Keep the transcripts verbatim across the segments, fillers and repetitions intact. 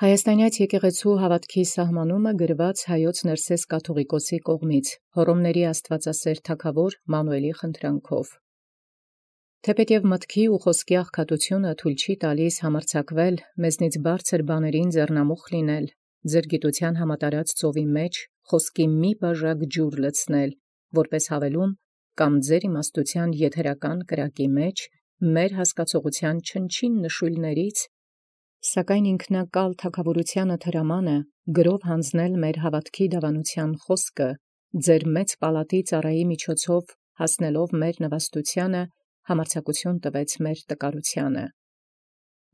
Հայաստանեաց եկեղեցու հաւատոքի սահմանումը գրված հայոց Ներսես կաթողիկոսի կողմից Հռոմների Աստուածասեր թագաւոր Մանուէլի խնդրանքով։ Թէպէտ և մտքի ու խոսքի աղքատությունը թույլ չի տալիս համարձակվել մեզնից բարձր բաներին ձեռնամուխ լինել, ձեր գիտութեան համատարած ծովի մեջ խոսքի մի բաժակ ջուր լցնել, որպես հավելում, կամ ձեր իմաստութեան եթերական կրակի մեջ մեր հասկացողութեան չնչին նշույլներից, սակայն ինքնակալ թագաւորութեանը թրամանը գրով հանձնել մեր հաւատոքի դավանութեան խոսքը, ձեր մեծ պալատի ծառայի միջոցով հասնելով մեր նվաստութեանը, համարձակութիւն տվեց մեր տկարութեանը։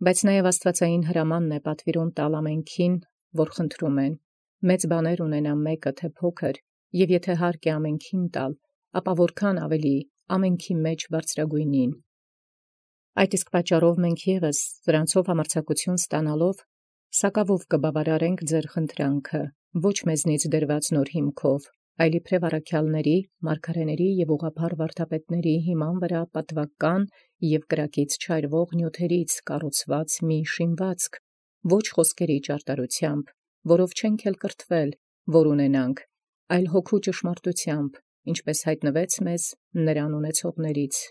Բայց նաև աստուածային հրամանն է պատվիրուն տալ ամենքին, որ խնդրում են, մեծ բաներ ունենա մեկը թե փոքր, և եթե հարկ է ամենքին տալ, ապա որքան ավելի ամենքի մեջ բարձրագոյնին։ Այդ իսկ պատճառով մենք ևս դրանցով համարձակութիւն ստանալով, սակավով կբավարարենք ձեր խնդրանքը, ոչ մեզնից դրված նոր հիմքով, այլ իբրև առաքեալների, մարգարեների և ուղղափառ վարդապետների հիման վրա պատվական և կրակից չայրվող նյութերից կառուցված մի շինվածք, ոչ խոսքերի ճարտարութեամբ, որով չենք էլ կրթվել, որ ունենանք, այլ հոգու ճշմարտութեամբ, ինչպես յայտնվեց մեզ նրան ունեցողներից։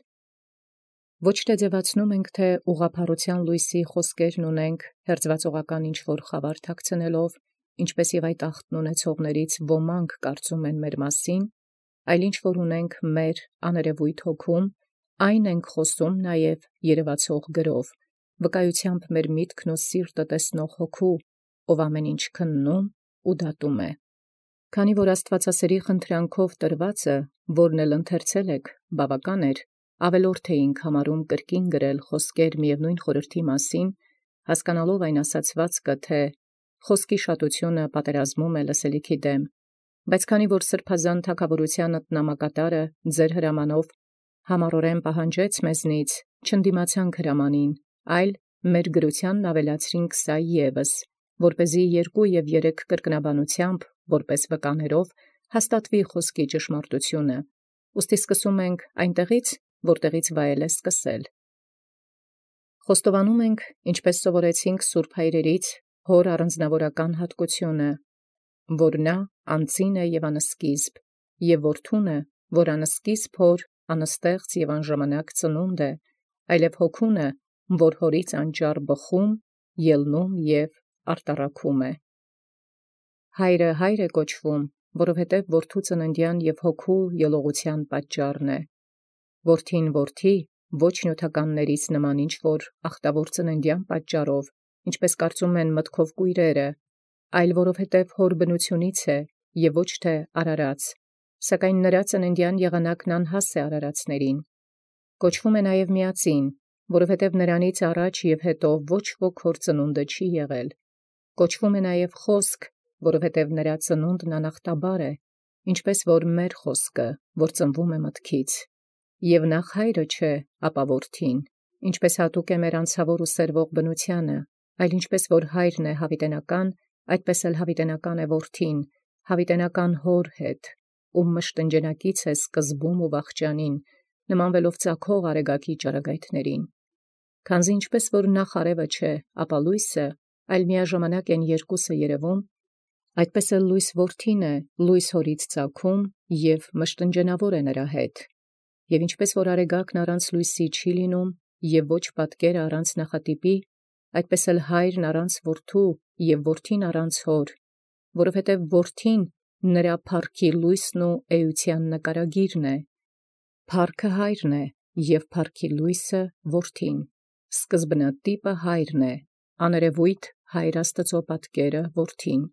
Ոչ թե ձևացնում ենք, թե ուղղափառութեան լույսի խոսքերն ունենք, հերձվածողական ինչ-որ խավար թաքցնելով, ինչպես և այդ ախտն ունեցողներից ոմանք կարծում են մեր մասին, այլ ինչ-որ ունենք մեր աներևոյթ հոգում, այն ենք խոսում նաև երևացող գրով, վկայութեամբ մեր միտքն ու սիրտը տեսնող հոգու, ով ամեն ինչ քննում ու դատում է։ Քանի որ աստուածասիրի խնդրանքով տրվածը, որն էլ ընթերցել եք, բավական էր, ավելորդ էինք համարում կրկին գրել խոսքեր միևնույն խորհրդի մասին, հասկանալով այն ասացվածքը, թե խոսքի շատությունը պատերազմում է լսելիքի դեմ, բայց քանի որ սրբազան թագաւորութեան նամակատարը ձեր հրամանով համառորեն պահանջեց մեզնից, չընդդիմացանք հրամանին, այլ մեր գրութեանն ավելացրինք սա ևս, որպեսզի երկու և երեք կրկնաբանութեամբ, որպես վկաներով, հաստատվի խոսքի ճշմարտությունը, ուստի սկսում ենք այնտեղից, որտեղից վայել է սկսել։ Խոստովանում ենք, ինչպես սովորեցինք սուրբ հայրերից, հոր առանձնավորական հատկությունը, որ նա անծին է և անսկիզբ, և որդուն է, որ անսկիզբ հոր, անստեղծ և անժամանակ ծնունդ է, այլև հոգուն է, որ հորից անճառ բխում, ելնում և արտառաքում է։ Հայրը հայր է կոչվում, որովհետև որդու ծննդեան և հոգու ելողութեան պատճառն է, որդին որդի, ոչ նյութականներից նման ինչ-որ ախտավոր ծննդեան պատճառով, ինչպես կարծում են մտքով կույրերը, այլ որովհետև հոր բնությունից է և ոչ թե արարած, սակայն նրա ծննդեան եղանակն անհաս է արարածներին։ Կոչվում է նաև միածին, որովհետև նրանից առաջ և հետո ոչ ոք հոր ծնունդը չի եղել։ Կոչվում է նաև խոսք, որովհետև նրա ծնունդն անախտաբար է, ինչպես որ մեր խոսքը, որ ծնվում է մտքից, և նախ հայրը չէ, ապա որդին, ինչպես հատուկ է մեր անցաւոր ու սերվող բնութեանը, այլ ինչպես որ հայրն է յաւիտենական, այդպես էլ յաւիտենական է որդին, յաւիտենական հոր հետ, ում մշտնջենակից է սկզբում ու վախճանին, նմանվելով ծագող արեգակի ճառագայթներին։ Քանզի ինչպես որ նախ արևը չէ, ապա լույսը, այլ միաժամանակ են երկուսը երևում, այդպես էլ լույս որդին է, լույս հորից ծագում և մշտնջենավոր է նրա հետ։ Եւ ինչպես որ արեգակն առանց լույսի չի լինում, և ոչ պատկերը առանց նախատիպի, այդպես էլ հայրն առանց որդու և որդին առանց հոր, որովհետև որդին նրա փառքի լույսն ու էության նկարագիրն է։ Փառքը հայրն է, և փառքի լույսը որդին, սկզբնատիպը հայրն է, աներևոյթ հայր Աստուծոյ պատկերը որդին։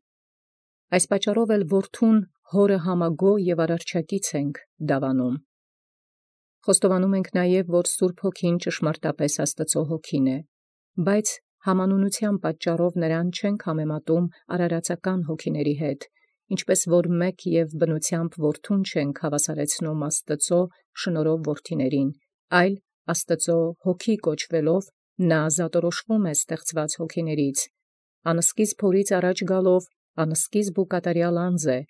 Այս պատճառով էլ որդուն հորը համագոյ և արարչակից ենք դավանում։ Խոստովանում ենք նաև, որ Սուրբ Հոգին ճշմարտապես Աստուծոյ Հոգին է, բայց համանունութեան պատճառով նրան չենք համեմատում արարածական հոգիների հետ, ինչպես որ մեկ և բնութեամբ որդուն չենք հավասարեցնում Աստուծոյ շնորհով որդիներին, այլ Աստուծոյ Հոգի կոչվելով նա զատորոշվում է ստեղծված հոգիներից, անսկիզբ հորից առաջ գալով անսկիզբ ու կատարյալ անձ է,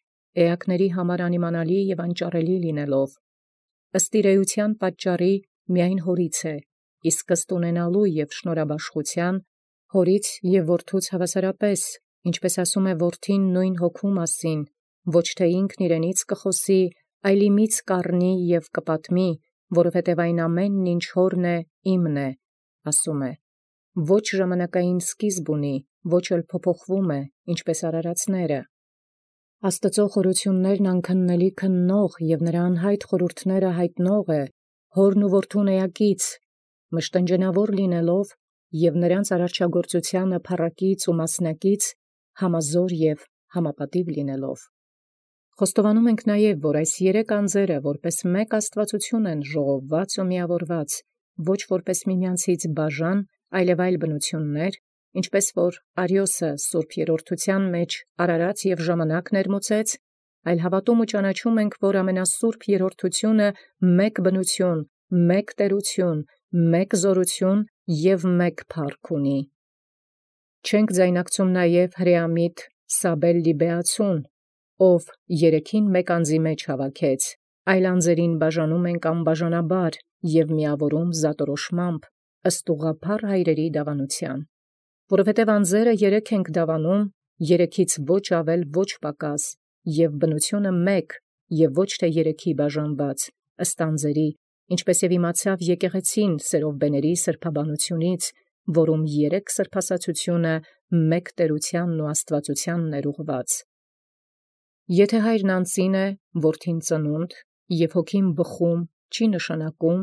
էակների համար անիմանալի և անճառելի լինելով, ըստ իր էության պատճառի միայն հորից է, իսկ ըստ ունենալու և շնորհաբաշխութեան հորից և որդուց հավասարապես, ինչպես ասում է որդին նույն հոգու մասին, ոչ թե ինքն իրենից կխոսի, այլ իմից կառնի և կպատմի, որովհետև այն ամենն ինչ հորն է, իմն է, ասում է. ոչ ժամանակային սկիզբ ունի, ոչ էլ փոփոխվում է, ինչպես արարածները։ Աստծո խորություններն անքննելի քննող և նրա անհայտ խորհուրդները հայտնող է, հորն ու որդուն էակից, մշտնջենավոր լինելով և նրանց արարչագործությանը փառակից ու մասնակից, համազոր և համապատիվ լինելով։ Խոստովանում ենք նաև, որ այս երեք անձերը որպես մեկ աստվածություն են ժողովված ու միավորված, ոչ որպես միմյանցից բաժան, այլև այլ բնություններ, ինչպես որ Արիոսը Սուրբ Երրորդության մեջ արարած և ժամանակ ներմուծեց, այլ հավատում ու ճանաչում ենք, որ ամենասուրբ Երրորդությունը մեկ բնություն, մեկ տերություն, մեկ զորություն և մեկ փառք ունի։ Չենք ձայնակցում նաև հրեամիտ Սաբել Լիբեացուն, ով երեքին մեկ անձի մեջ հավաքեց, այլ անձերին բաժանում ենք անբաժանաբար և միավորում զատորոշմամբ, ըստ ուղղափառ հայրերի դավանության։ Որովհետև անձերը երեք ենք դավանում, երեքից ոչ ավել ոչ պակաս, և բնությունը մեկ, և ոչ թե երեքի բաժանված, ըստ անձերի, ինչպես և իմացավ եկեղեցին Սերովբեների սրբաբանությունից, որում երեք սրբասացությունը մեկ տերությանն ու աստվածությանն էր ուղղված։ Եթե հայրն անծին է, որդին ծնունդ, և հոգին բխում, չի նշանակում,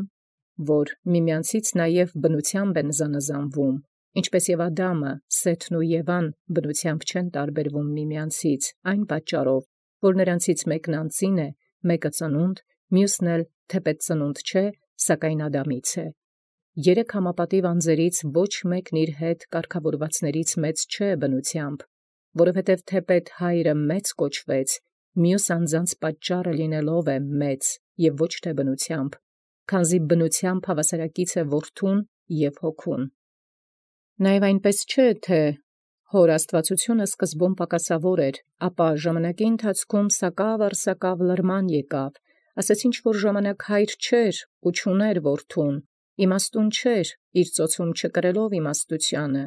որ միմյանցից նաև բնությամբ են զանազանվում, ինչպես և Ադամը, Սեթն ու Եվան բնությամբ չեն տարբերվում միմյանցից, այն պատճառով, որ նրանցից մեկն անծին է, մեկը ծնունդ, մյուսն էլ թեպետ ծնունդ չէ, սակայն Ադամից է։ Երեք համապատիվ անձերից ոչ մեկն իր հետ կարգավորվածներից մեծ չէ բնությամբ, որովհետև թեպետ հայրը մեծ կոչվեց, մյուս անձանց պատճառը լինելով է մեծ և ոչ թե բնությամբ, քանզի բնությամբ հավասարակից է որդուն և հոգուն։ Նաև այնպես չէ, թե հոր աստվածությունը սկզբում պակասավոր էր, ապա ժամանակի ընթացքում սակավ առ սակավ լրման եկավ, ասես ինչ որ ժամանակ հայր չէր ու չուներ որդուն, իմաստուն չէր, իր ծոցում չկրելով իմաստությանը,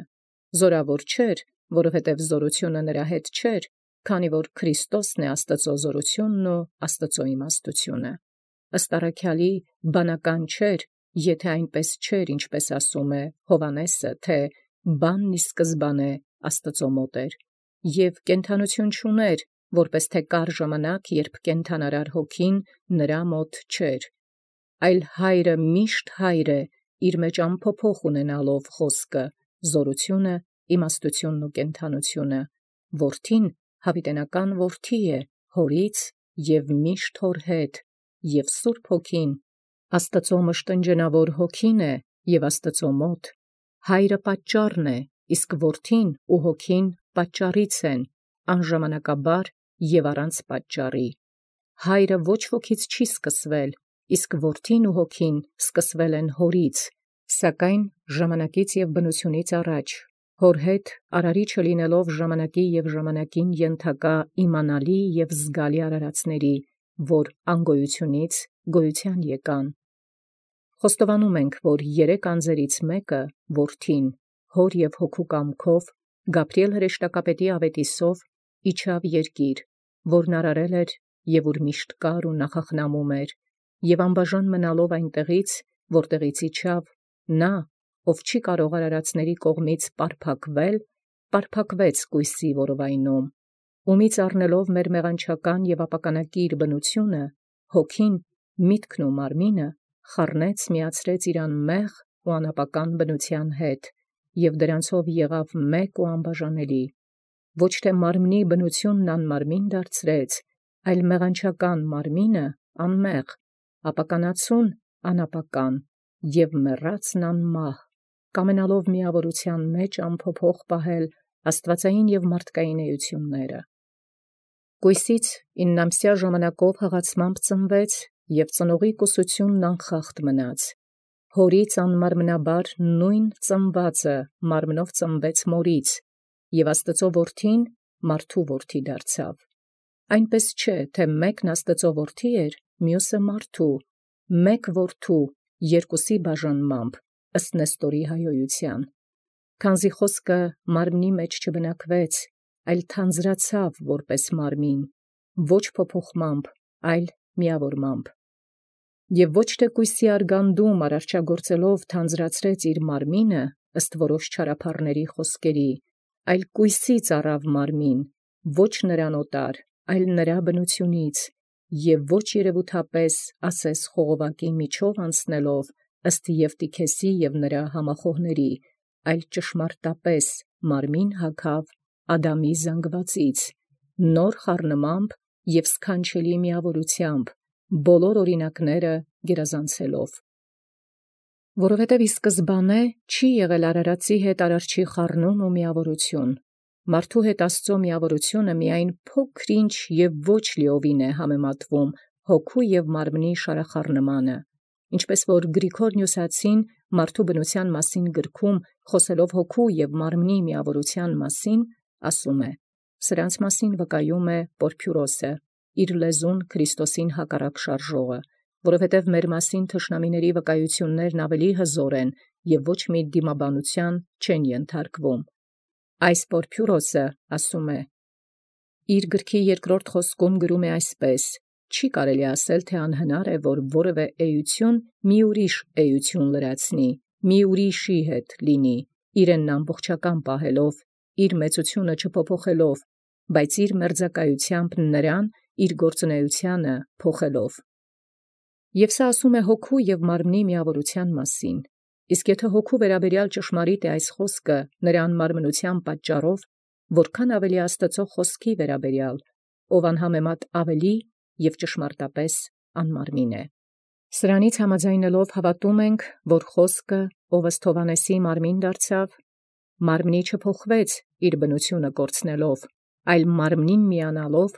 զորավոր չէր, որովհետև զորությունը նրա հետ չէր, քանի որ Քրիստոսն է Աստծո զորությունն ու Աստծո իմաստությունը։ Ըստ առաքյալի բանական չէր, եթե այնպես չէր, ինչպես ասում է Հովհաննեսը, թե բանն ի սկզբանե Աստծո մոտ էր, և կենդանություն չուներ, որպես թե կար ժամանակ, երբ կենդանարար հոգին նրա մոտ չէր, այլ հայրը միշտ հայր է, իր մեջ անփոփոխ ունենալով խոսքը, զորությունը, իմաստությունն ու կենդանությունը, որդին հավիտենական որդի է, հորից և միշտ հոր հետ, և Սուրբ Հոգին Աստծո մշտնջենավոր հոգին է և Աստծո մոտ, հայրը պատճառն է, իսկ որդին ու հոգին պատճառից են, անժամանակաբար և առանց պատճառի։ Հայրը ոչ ոքից չի սկսվել, իսկ որդին ու հոգին սկսվել են հորից, սակայն ժամանակից և բնությունից առաջ, հոր հետ արարիչը լինելով ժամանակի և ժամանակին ենթակա իմանալի և զգալի արարածների, որ անգոյությունից գոյության եկան։ Խոստովանում ենք, որ երեք անձերից մեկը, որդին, հոր և հոգու կամքով, Գաբրիել հրեշտակապետի ավետիսով, իջավ երկիր, որն արարել էր և ուր միշտ կար ու նախախնամում էր, և անբաժան մնալով այնտեղից, որտեղից իջավ, նա, ով չի կարող արարածների կողմից պարփակվել, պարփակվեց կույսի որովայնում, ումից առնելով մեր մեղանչական և ապականակիր բնությունը, հոգին, միտքն ու մարմինը, խառնեց միացրեց իր անմեղ ու անապական բնության հետ, և դրանցով եղավ մեկ ու անբաժանելի, ոչ թե մարմնի բնությունն անմարմին դարձրեց, այլ մեղանչական մարմինը անմեղ, ապականացուն անապական և մեռածն անմահ, կամենալով միավորության մեջ անփոփոխ պահել աստվածային և մարդկային էությունները։ Կույսից իննամսյա ժամանակով հղացմամբ ծնվեց և ծնողի կուսությունն անխախտ մնաց, հորից անմարմնաբար նույն ծնվածը մարմնով ծնվեց մորից, և Աստծո որդին մարդու որդի դարձավ։ Այնպես չէ, թե մեկն Աստծո որդի էր, մյուսը մարդու, մեկ որդու, երկուսի բաժանմամբ, ըստ Նեստորի հայոյության։ Քանզի խոսքը մարմնի մեջ չբնակվեց, այլ թանձրացավ որպես մարմին, ոչ փոփոխմամբ, այլ միավորմամբ։ Եվ ոչ թե կույսի արգանդում արարչագործելով թանձրացրեց իր մարմինը, ըստ որոշ չարափառների խոսքերի, այլ կույսից առավ մարմին, ոչ նրան օտար, այլ նրա բնությունից, և ոչ երևութապես ասես խողովակի միջով անցնելով, ըստ Եվտիքեսի և նրա համախոհների, այլ ճշմարտապես մարմին հագավ Ադամի զանգվածից, նոր խառնմամբ և սքանչելի միավորությամբ, բոլոր օրինակները գերազանցելով։ Որովհետև ի սկզբանե չի եղել արարածի հետ արարչի խառնում ու միավորություն, մարդու հետ Աստծո միավորությունը միայն փոքր-ինչ և ոչ լիովին է համեմատվում հոգու և մարմնի շարախառնմանը, ինչպես որ Գրիգոր Նյուսացին մարդու բնության մասին գրքում խոսելով հոգու և մարմնի միավորության մասին, ասում է. սրանց մասին վկայում է Պորփյուրոսը, իր լեզուն Քրիստոսին հակառակ շարժողը, որովհետև մեր մասին թշնամիների վկայություններն ավելի հզոր են և ոչ մի դիմաբանության չեն ենթարկվում։ Այս Պորփյուրոսը ասում է. իր գրքի երկրորդ խոսքում գրում է այսպես. չի կարելի ասել, թե անհնար է, որ որևէ էություն մի ուրիշ էություն լրացնի, մի ուրիշի հետ լինի, իրեն ամբողջական պահելով, իր մեծությունը չփոփոխելով, բայց իր մերձակայությամբ նրան իր գործունեությանը փոխելով։ Եվ սա ասում է հոգու և մարմնի միավորության մասին, իսկ եթե հոգու վերաբերյալ ճշմարիտ է այս խոսքը նրա անմարմնության պատճառով, որքան ավելի Աստծո խոսքի վերաբերյալ, ով անհամեմատ ավելի և ճշմարտապես անմարմին է։ Սրանից համաձայնելով հավատում ենք, որ խոսքը, ով ըստ Հովհաննեսի մարմին դարձավ, մարմնի չփոխվեց իր բնությունը կորցնելով, այլ մարմնին միանալով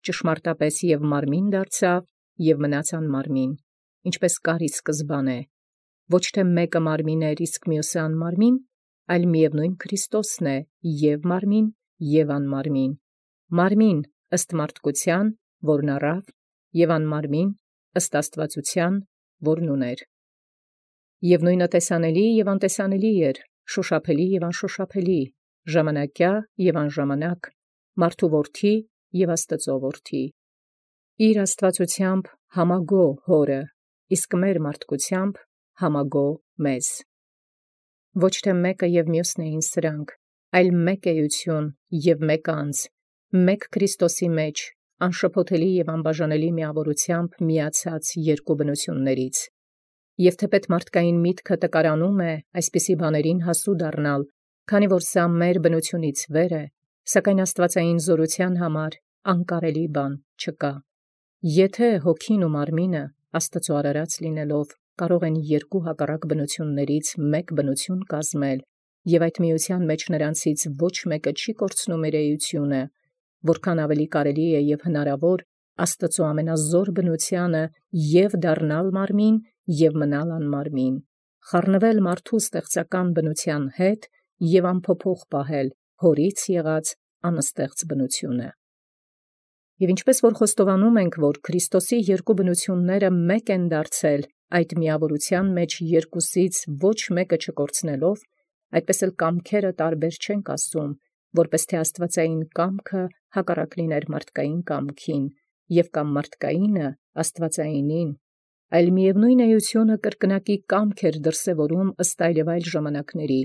ճշմարտապես և մարմին դարձավ և մնաց անմարմին, ինչպես կար ի սկզբանե, ոչ թե մեկը մարմին էր, իսկ մյուսը անմարմին, այլ միևնույն Քրիստոսն է և մարմին և անմարմին, մարմին ըստ մարդկության, որն առավ, և անմարմին ըստ աստվածության, որն ուներ։ Եվ նույնը տեսանելի և անտեսանելի էր, շոշափելի և անշոշափելի, ժամանակյա և անժամանակ, մարդու որդի և Աստծո որդի, իր աստվածությամբ համագոհ Հորը, իսկ մեր մարդկությամբ համագոհ մեզ։ Ոչ թե մեկը և մյուսն էին սրանք, այլ մեկ էություն և մեկ անձ, մեկ Քրիստոսի մեջ, անշփոթելի և անբաժանելի միավորությամբ միացած երկու բնություններից։ Եվ թեպետ մարդկային միտքը տկարանում է այսպիսի բաներին հասու դառնալ, քանի որ սա մեր բնությունից վեր է, սակայն աստվածային զորության համար անկարելի բան չկա։ Եթե հոգին ու մարմինը Աստծո արարած լինելով կարող են երկու հակառակ բնություններից մեկ բնություն կազմել, և այդ միության մեջ նրանցից ոչ մեկը չի կորցնում իր էությունը, որքան ավելի կարելի է և հնարավոր Աստծո ամենազոր բնությանը և դառնալ մարմին և մնալ անմարմին, խառնվել մարդու ստեղծական բնության հետ և անփոփոխ պահել Հորից եղած անստեղծ բնությունը։ Եվ ինչպես որ խոստովանում ենք, որ Քրիստոսի երկու բնությունները մեկ են դարձել, այդ միավորության մեջ երկուսից ոչ մեկը չկորցնելով, այդպես էլ կամքերը տարբեր չենք ասում, որպես թե աստվածային կամքը հակառակ լիներ մարդկային կամքին, և կամ մարդկայինը աստվածայինին, այլ միևնույն էությունը կրկնակի կամք էր դրսևորում ըստ այլևայլ ժամանակների,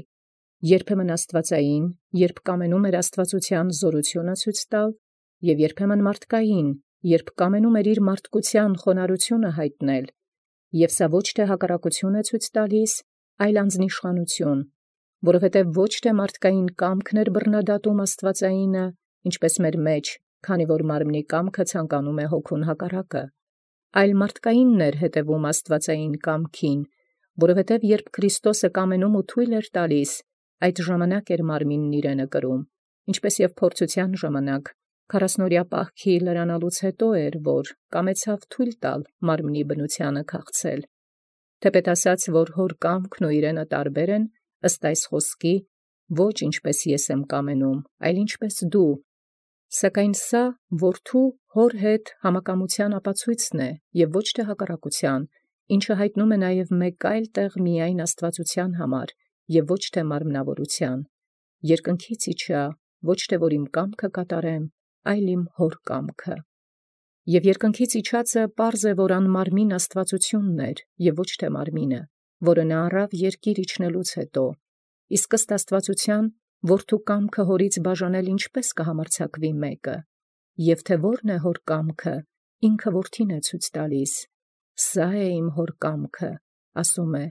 երբեմն աստվածային, երբ կամենում էր աստվածության զորությունը ցույց տալ, և երբեմն մարդկային, երբ կամենում էր իր մարդկության խոնարհությունը հայտնել, և սա ոչ թե հակառակություն է ցույց տալիս, այլ անձնիշխանություն, որովհետև ոչ թե մարդկային կամքն էր բռնադատում աստվածայինը, ինչպես մեր մեջ, քանի որ մարմնի կամքը ցանկանում է հոգուն հակառակը, այլ մարդկայինն էր հետևում աստվածային կամքին, որովհետև երբ Քրիստոսը կամենում ու թույլ էր տալիս, այդ ժամանակ էր մարմինն իրենը կրում, ինչպես և փորձության ժամանակ, քառասնօրյա պահքի լրանալուց հետո էր, որ կամեցավ թույլ տալ մարմնի բնությանը քաղցել, թեպետ ասաց, որ հոր կամքն ու իրենը տարբեր են, ըստ այս խոսքի, ոչ ինչպես ես եմ կամենում, այլ ինչպես դու, սակայն սա որդու հոր հետ համակամության ապացույցն է և ոչ թե հակառակության, ինչը հայտնում է նաև մեկ այլ տեղ միայն աստվածության համար և ոչ թե մարմնավորութեան, երկնքից իջա, ոչ թե որ իմ կամքը կատարեմ, այլ իմ հոր կամքը։ Եւ երկնքից իջածը պարզ է, որ անմարմին աստվածությունն էր, և ոչ թե մարմինը, որը նա առավ երկիր իջնելուց հետո, իսկ ըստ աստվածության, որդու կամքը հորից բաժանել ինչպես կհամարձակվի մեկը, և թե որն է հոր կամքը, ինքը որդին է ցույց տալիս. «Սա է իմ հոր կամքը», ասում է,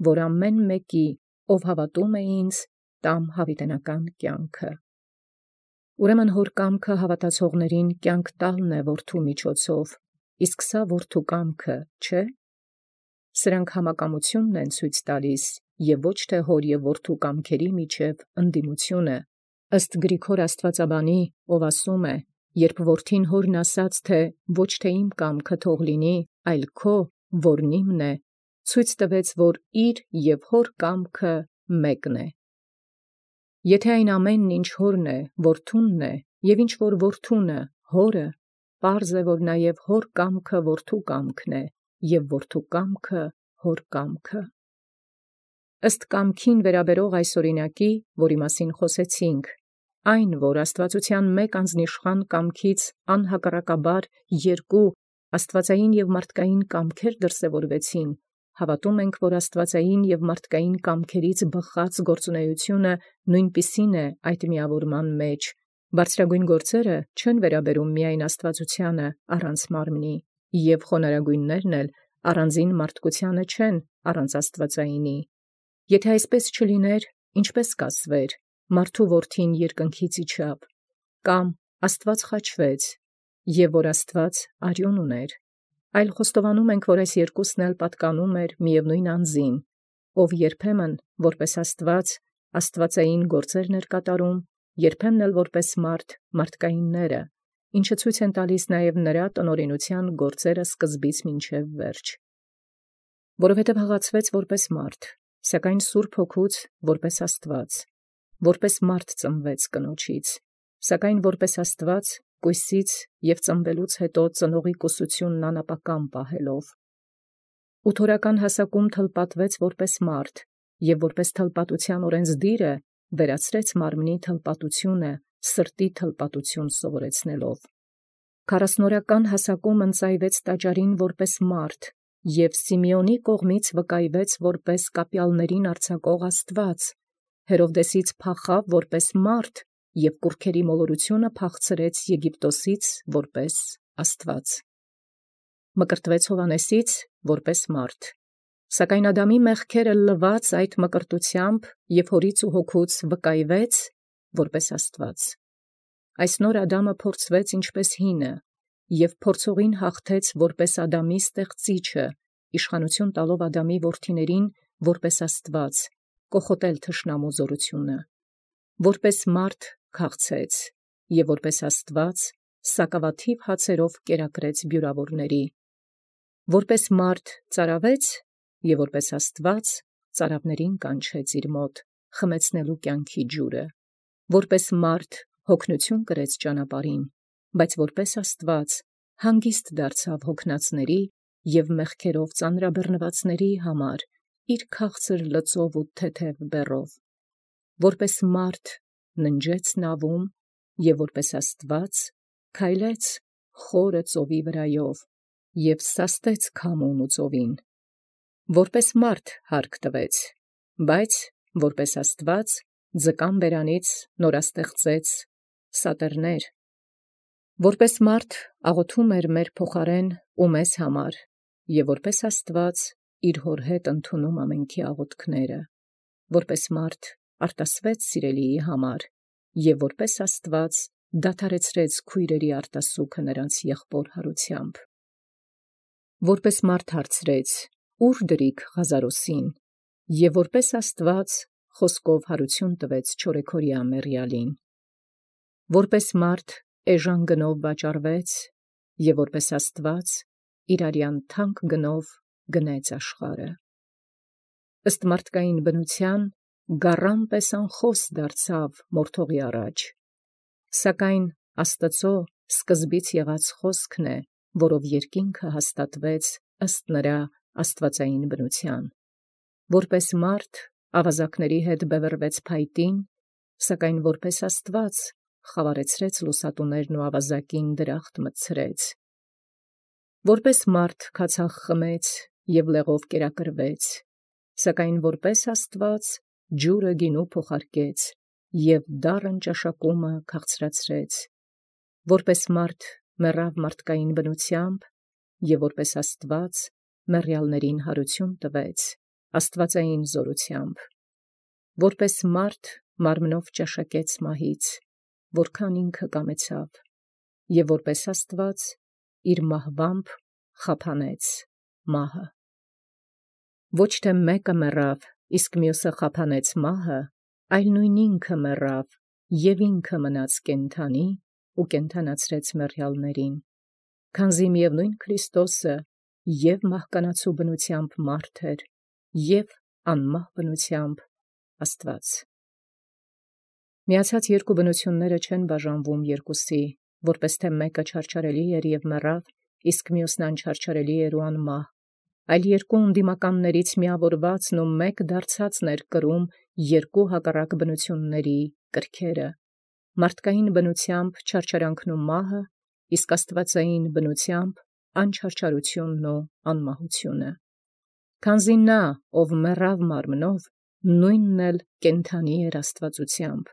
որ ամեն մեկի, ով հավատում է ինձ, տամ հավիտենական կյանքը։ Ուրեմն հոր կամքը հավատացողներին կյանք տալն է որդու միջոցով, իսկ սա որդու կամքը, չէ՞։ Սրանք համակամությունն են ցույց տալիս, և ոչ թե հոր և որդու կամքերի միջև ընդդիմությունը, ըստ Գրիգոր աստվածաբանի, ով ասում է. «Երբ որդին հորն ասաց, թե ոչ թե իմ կամքը թող լինի, այլ քո, որն իմն է, ցույց տվեց, որ իր և հոր կամքը մեկն է»։ Եթե այն ամենն, ինչ հորն է, որդունն է, և ինչ որ որդունը, հորը, պարզ է, որ նաև հոր կամքը որդու կամքն է, և որդու կամքը հոր կամքը։ Ըստ կամքին վերաբերող այս օրինակի, որի մասին խոսեցինք, այն, որ աստվածության մեկ անձնիշխան կամքից անհակառակաբար երկու աստվածային և մարդկային կամքեր դրսևորվեցին, հավատում ենք, որ աստվածային և մարդկային կամքերից բխած գործունեությունը նույնպիսին է այդ միավորման մեջ. բարձրագույն գործերը չեն վերաբերում միայն աստվածությանը առանց մարմնի, և խոնարհագույններն էլ առանձին մարդկությանը չեն առանց աստվածայինի։ Եթե այսպես չլիներ, ինչպե՞ս կասվեր. մարդու որդին երկնքից իջավ, կամ Աստված խաչվեց, և որ Աստված արյուն ուներ։ Այլ խոստովանում ենք, որ այս երկուսն էլ պատկանում էր միևնույն անձին, ով երբեմն որպես Աստված աստվածային գործերն էր կատարում, երբեմն էլ որպես մարդ մարդկայինները, ինչը ցույց են տալիս նաև նրա տնօրինության գործերը սկզբից մինչև վերջ։ Որովհետև հղացվեց որպես մարդ, սակայն Սուրբ Հոգուց որպես Աստված, որպես մարդ ծնվեց կնոջից, սակայն որպես Աստված կույսից և ծնվելուց հետո ծնողի կուսությունն անապական պահելով։ Ու թորական հասակում թլպատվեց որպես մարդ, և որպես թլպատության օրենսդիրը վերացրեց մարմնի թլպատությունը սրտի թլպատություն սովորեցնելով։ Քառասնորական հասակում ընծայվեց տաճարին որպես մարդ, և Սիմեոնի կողմից վկայվեց որպես կապյալներին արձակող Աստված, Հերովդեսից փախավ որպես մարդ և կուռքերի մոլորությունը փախցրեց Եգիպտոսից որպես Աստված։ Մկրտվեց Հովհաննեսից որպես մարդ, սակայն Ադամի մեղքերը լված այդ մկրտությամբ և հորից ու հոգուց վկայվեց որպես Աստված։ Այս նոր Ադամը փորձվեց ինչպես հինը, և փորձողին հաղթեց որպես Ադամի ստեղծիչը, իշխանություն տալով Ադամի որդիներին որպես Աստված, կոխոտել թշնամու զորությունը։ Որպես մարդ քաղցեց, և որպես Աստված սակավաթիվ հացերով կերակրեց բյուրավորների։ Որպես մարդ ծարավեց, և որպես Աստված ծարավներին կանչեց իր մոտ, խմեցնելու կյանքի ջուրը։ Որպես մարդ հոգնություն կրեց ճանապարհին, բայց որպես Աստված հանգիստ դարձավ հոգնածների և մեղքերով ծանրաբեռնվածների համար իր քաղցր լծով ու թեթև բեռով։ Որպես մարդ ննջեց նավում, և որպես Աստված քայլեց խորը ծովի վրայով և սաստեց քամուն ու ծովին։ Որպես մարդ հարկ տվեց, բայց որպես Աստված ձկան բերանից նորաստեղծեց սատերներ։ Որպես մարդ աղոթում էր մեր փոխարեն ու մեզ համար, և որպես Աստված իր հոր հետ ընդունում ամենքի աղոթքները։ Որպես մարդ արտասվեց սիրելիի համար, և որպես Աստված դադարեցրեց քույրերի արտասուքը նրանց եղբոր հարությամբ։ Որպես մարդ հարցրեց. «Ո՞ւր դրիք Ղազարոսին», և որպես Աստված խոսքով հարություն տվեց չորեքօրյա մեռյալին։ Որպես մարդ էժան գնով վաճառվեց, և որպես Աստված իր արյան թանկ գնով գնեց աշխարհը։ Ըստ մարդկային բնության գառան պես անխոս դարձավ մորթողի առաջ, սակայն Աստծո սկզբից եղած խոսքն է, որով երկինքը հաստատվեց ըստ նրա աստվածային բնության։ Որպես մարդ ավազակների հետ բևեռվեց փայտին, սակայն որպես Աստված խավարեցրեց լուսատուներն ու ավազակին դրախտ մտցրեց, որպես մարդ քացախ խմեց և լեղով կերակրվեց, սակայն որպես Աստված ջուրը գինու փոխարկեց և դառն ճաշակումը քաղցրացրեց, որպես մարդ մեռավ մարդկային բնությամբ և որպես Աստված մեռյալներին հարություն տվեց աստվածային զորությամբ, որպես մարդ մարմնով ճաշակեց մահից, որքան ինքը կամեցավ, և որպես Աստված իր մահվամբ խափանեց մահը։ Ոչ թե մեկը մեռավ, իսկ մյուսը խափանեց մահը, այլ նույն ինքը մեռավ և ինքը մնաց կենդանի ու կենդանացրեց մեռյալներին, քանզի միևնույն Քրիստոսը և մահկանացու բնությամբ մարդ էր, և անմահ բնությամբ Աստված։ Միացած երկու բնությունները չեն բաժանվում երկուսի, որպես թե մեկը չարչարելի էր և մեռավ, իսկ մյուսն անչարչարելի էր ու անմահ, այլ երկու անդիմականներից միավորվածն ու մեկ դարձածն էր կրում երկու հակառակ բնությունների կրքերը, մարդկային բնությամբ չարչարանքն ու մահը, իսկ աստվածային բնությամբ անչարչարությունն ու անմահությունը։ Քանզի նա, ով մեռավ մարմնով, նույնն էլ կենդանի էր աստվածությամբ,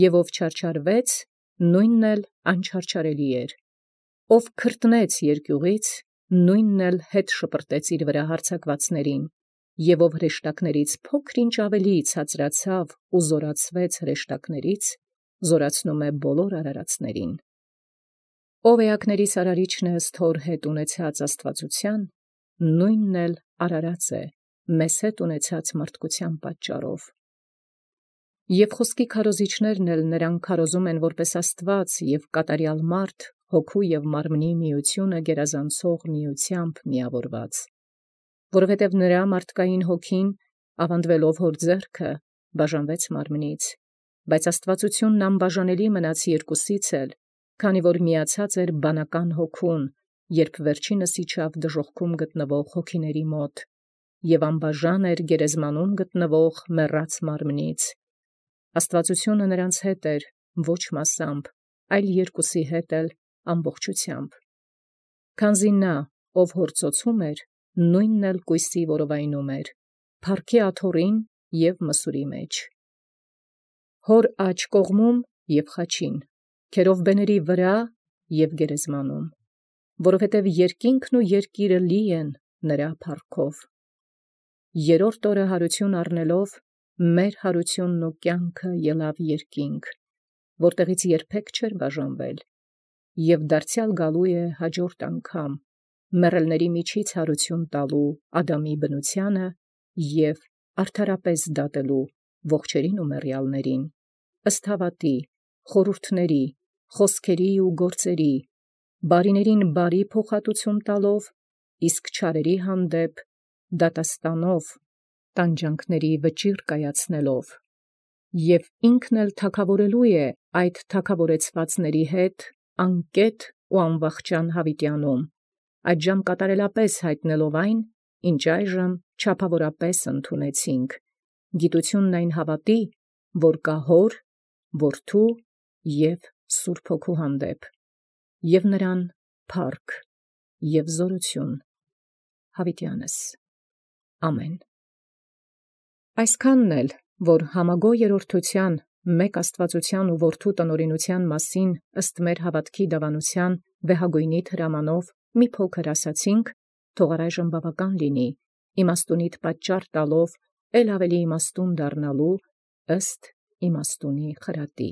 և ով չարչարվեց, նույնն էլ անչարչարելի էր, ով քրտնեց երկյուղից, նույնն էլ հետ շպրտեց իր վրա հարձակվածներին, և ով հրեշտակներից փոքր-ինչ ավելի ցածրացավ ու զորացվեց հրեշտակներից, զորացնում է բոլոր արարածներին։ Ով էակներիս արարիչն է ըստ հոր հետ ունեցած աստվածության, նույնն էլ արարած է մեզ հետ ունեցած մարդկության պատճառով։ Եվ խոսքի քարոզիչներն էլ նրան քարոզում են որպես Աստված և կատարյալ մարդ հոգու և մարմնի միությունը գերազանցող միությամբ միավորված, որովհետև նրա մարդկային հոգին, ավանդվելով հոր ձեռքը, բաժանվեց մարմնից, բայց աստվածությունն անբաժանելի մնաց երկուսից էլ, քանի որ միացած էր բանական հոգուն, երբ վերջինս իջավ դժոխքում գտնվող հոգիների մոտ, և անբաժան էր գերեզմանում գտնվող մեռած մարմնից։ Աստվածությունը նրանց հետ էր ոչ մասամբ, այլ երկուսի հետ էլ ամբողջությամբ։ Քանզի նա, ով հոր ծոցում էր, նույնն էլ կույսի որովայնում էր, փառքի աթոռին և մսուրի մեջ, հոր աջ կողմում և խաչին, քերովբեների վրա և գերեզմանում, որովհետև երկինքն ու երկիրը լի են նրա փառքով։ Երրորդ օրը հարություն առնելով, մեր հարությունն ու կյանքը ելավ երկինք, որտեղից երբեք չէր բաժանվել, և դարձյալ գալու է հաջորդ անգամ, մեռելների միջից հարություն տալու Ադամի բնությանը և արդարապես դատելու ողջերին ու մեռյալներին, ըստ հավատի, խորհուրդների, խոսքերի ու գործերի, բարիներին բարի փոխհատուցում տալով, իսկ չարերի հանդեպ դատաստանով, տանջանքների վճիռ կայացնելով, և ինքն էլ թագավորելու է այդ թագավորեցվածների հետ անկետ ու անվախճան հավիտյանում, այդժամ կատարելապես հայտնելով այն, ինչ այժմ չափավորապես ընդունեցինք, գիտությունն այն հավատի, որ կա Հոր, Որդու և Սուրբ Հոգու հանդեպ, և նրան փառք և զորություն հավիտյանս։ Ամեն։ Այսքանն էլ, որ համագո երրորդության մեկ աստվածության ու Որդու տնօրինության մասին ըստ մեր հավատքի դավանության վեհագույնիդ հրամանով մի փոքր ասացինք, թող առայժմ բավական լինի, իմաստունիդ պատճառ տալով էլ ավելի իմաստուն դառնալու ըստ իմաստունի խրատի։